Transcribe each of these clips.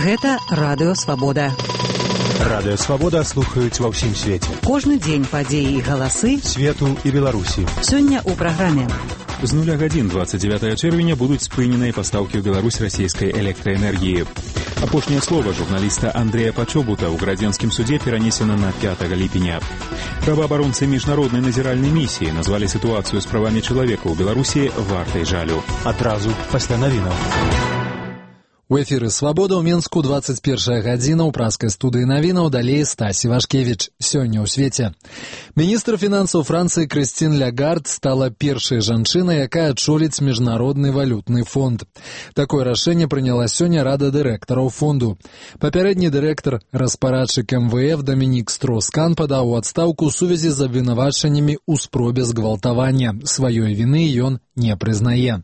Гэта Радыё Свабода. Радыё Свабода слухаюць ва ўсім свеце. Кожны дзень падзеі і галасы свету і Беларусі. Сёння ў праграме. З 0 гадзін 29 чэрвеня будуць спыненыя пастаўкі ў Беларусь расійскай электраэнергіі. Апошняе слова журналіста Андрэя Пачобута ў градзенскім судзе перанесена на 5 ліпеня. Праваабаронцы міжнароднай назіральнай місіі назвалі сітуацыю з правамі чалавека ў Беларусі вартай жалю. Адразу пасля навінаў. У эфіры «Свабода» ў Менску 21 гадзіна ў праскай студыі навінаў, далей Стась Івашкевіч. Сёння ў свеце. Міністр фінансаў Францыі Крыстін Лягард стала першай жанчынай, якая адчоліць міжнародны валютны фонд. Такое рашэнне прыняла сёння Рада дырэктараў фонду. Папярэдні дырэктар распарадчык МВФ Дамінік Строскан падаў у адстаўку ў сувязі з абвінавачаннямі ў спробе згвалтавання. Сваёй віны ён не прызнае.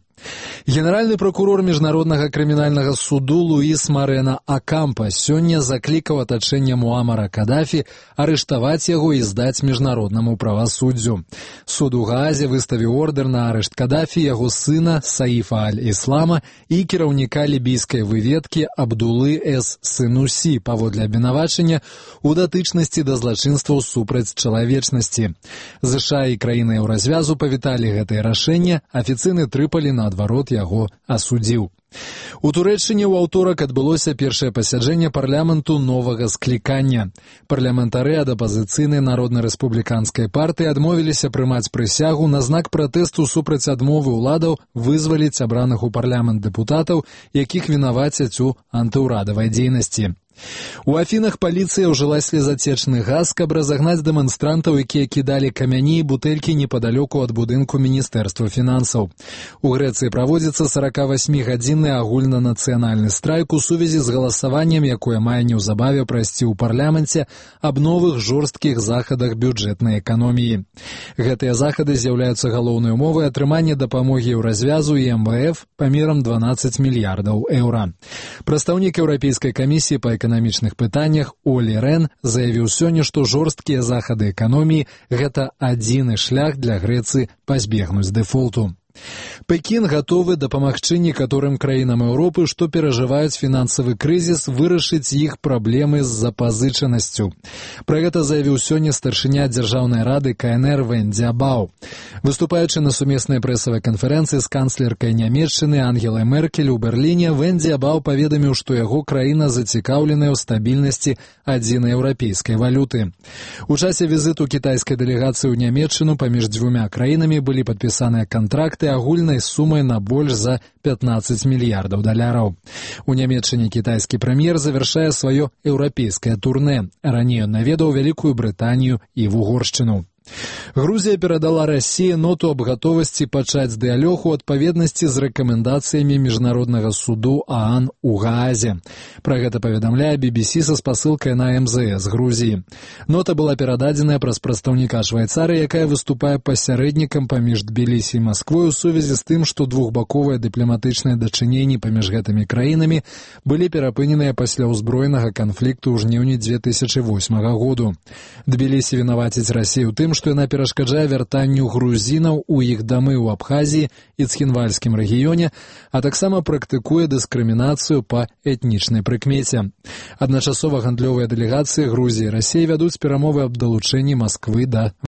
Генеральны прокурор Міжнароднага крымінальнага суду Луіс Марена Акампа сёння заклікаў атачэнне Муамара Кадафі арыштаваць яго і здаць міжнароднаму правасуддзю. Суд у Гаазе выставіў ордэр на арышт Кадафі, яго сына Саіфа аль-Іслама і кіраўніка лібійскай выведкі Абдулы С. Сынусі паводле абвінавачання ў датычнасці да злачынстваў супраць чалавечнасці. ЗША і краіны Еўразвязу павіталі гэтае рашэнне, афіцыйны Трыполі наадварот яго асудзіў. У Турэччыне ў аўторак адбылося першае пасяджэнне парламенту новага склікання. Парламентары ад апазіцыйнай народна-рэспубліканскай партыі адмовіліся прымаць прысягу на знак пратэсту супраць адмовы ўладаў вызваліць абраных у парламент дэпутатаў, якіх вінавацяць у антыўрадавай дзейнасці. У Афінах паліцыя ўжыла слезацечны газ, каб разагнаць дэманстрантаў, якія кідалі камяні і бутэлькі непадалёку ад будынку Міністэрства фінансаў. У Грэцыі праводзіцца 48-гадзінны агульнанацыянальны страйк у сувязі з галасаваннем, якое мае неўзабаве прайсці ў парламенце аб новых жорсткіх захадах бюджэтнай эканоміі. Гэтыя захады з'яўляюцца галоўнай умовай атрымання дапамогі Еўразвязу і МВФ памерам 12 мільярдаў еўра. Прадстаўнік Еўрапейскай камісіі па эканамічных пытаннях Олі Рен заявіў сёння, што жорсткія захады эканоміі – гэта адзіны шлях для Грэцыі пазбегнуць дэфолту. Пекін гатовы дапамагчы некаторым краінам Еўропы, што перажываюць фінансавы крызіс, вырашыць іх праблемы з запазычанасцю. Пра гэта заявіў сёння старшыня Дзяржаўнай рады КНР Вэн Дзябау. Выступаючы на сумеснай прэсавай канферэнцыі з канцлеркай Нямецчыны Ангелай Меркель у Берліне, Вэн Дзябау паведаміў, што яго краіна зацікаўленая ў стабільнасці адзінай еўрапейскай валюты. У часе візіту кітайскай дэлегацыі ў Нямецчыну паміж дзвюма краінамі былі падпісаныя кантракты агульнай сумай на больш за 15 мільярдаў даляраў. У Нямецчыне кітайскі прэм'ер завяршае сваё еўрапейскае турнэ. Раней ён наведаў Вялікую Брытанію і Вугоршчыну. Грузія перадала Расіі ноту аб гатовасці пачаць дыялог у адпаведнасці з рэкамендацыямі Міжнароднага суду ААН у Гаазе. Пра гэта паведамляе BBC са спасылкай на МЗС Грузіі. Нота была перададзеная праз прадстаўніка Швайцарыі, якая выступае пасярэднікам паміж Тбілісі і Масквой у сувязі з тым, што двухбаковыя дыпламатычныя дачыненні паміж гэтымі краінамі былі перапыненыя пасля ўзброенага канфлікту ў жніўні 2008 году. Тбілісі вінаваціць Расію тым, што яна перашкаджае вяртанню грузінаў у іх дамы ў Абхазіі і Цхінвальскім рэгіёне, а таксама практыкуе дыскрымінацыю па этнічнай прыкмеце. Адначасова гандлёвыя дэлегацыі Грузіі і Расіі вядуць перамовы аб далучэнні Масквы да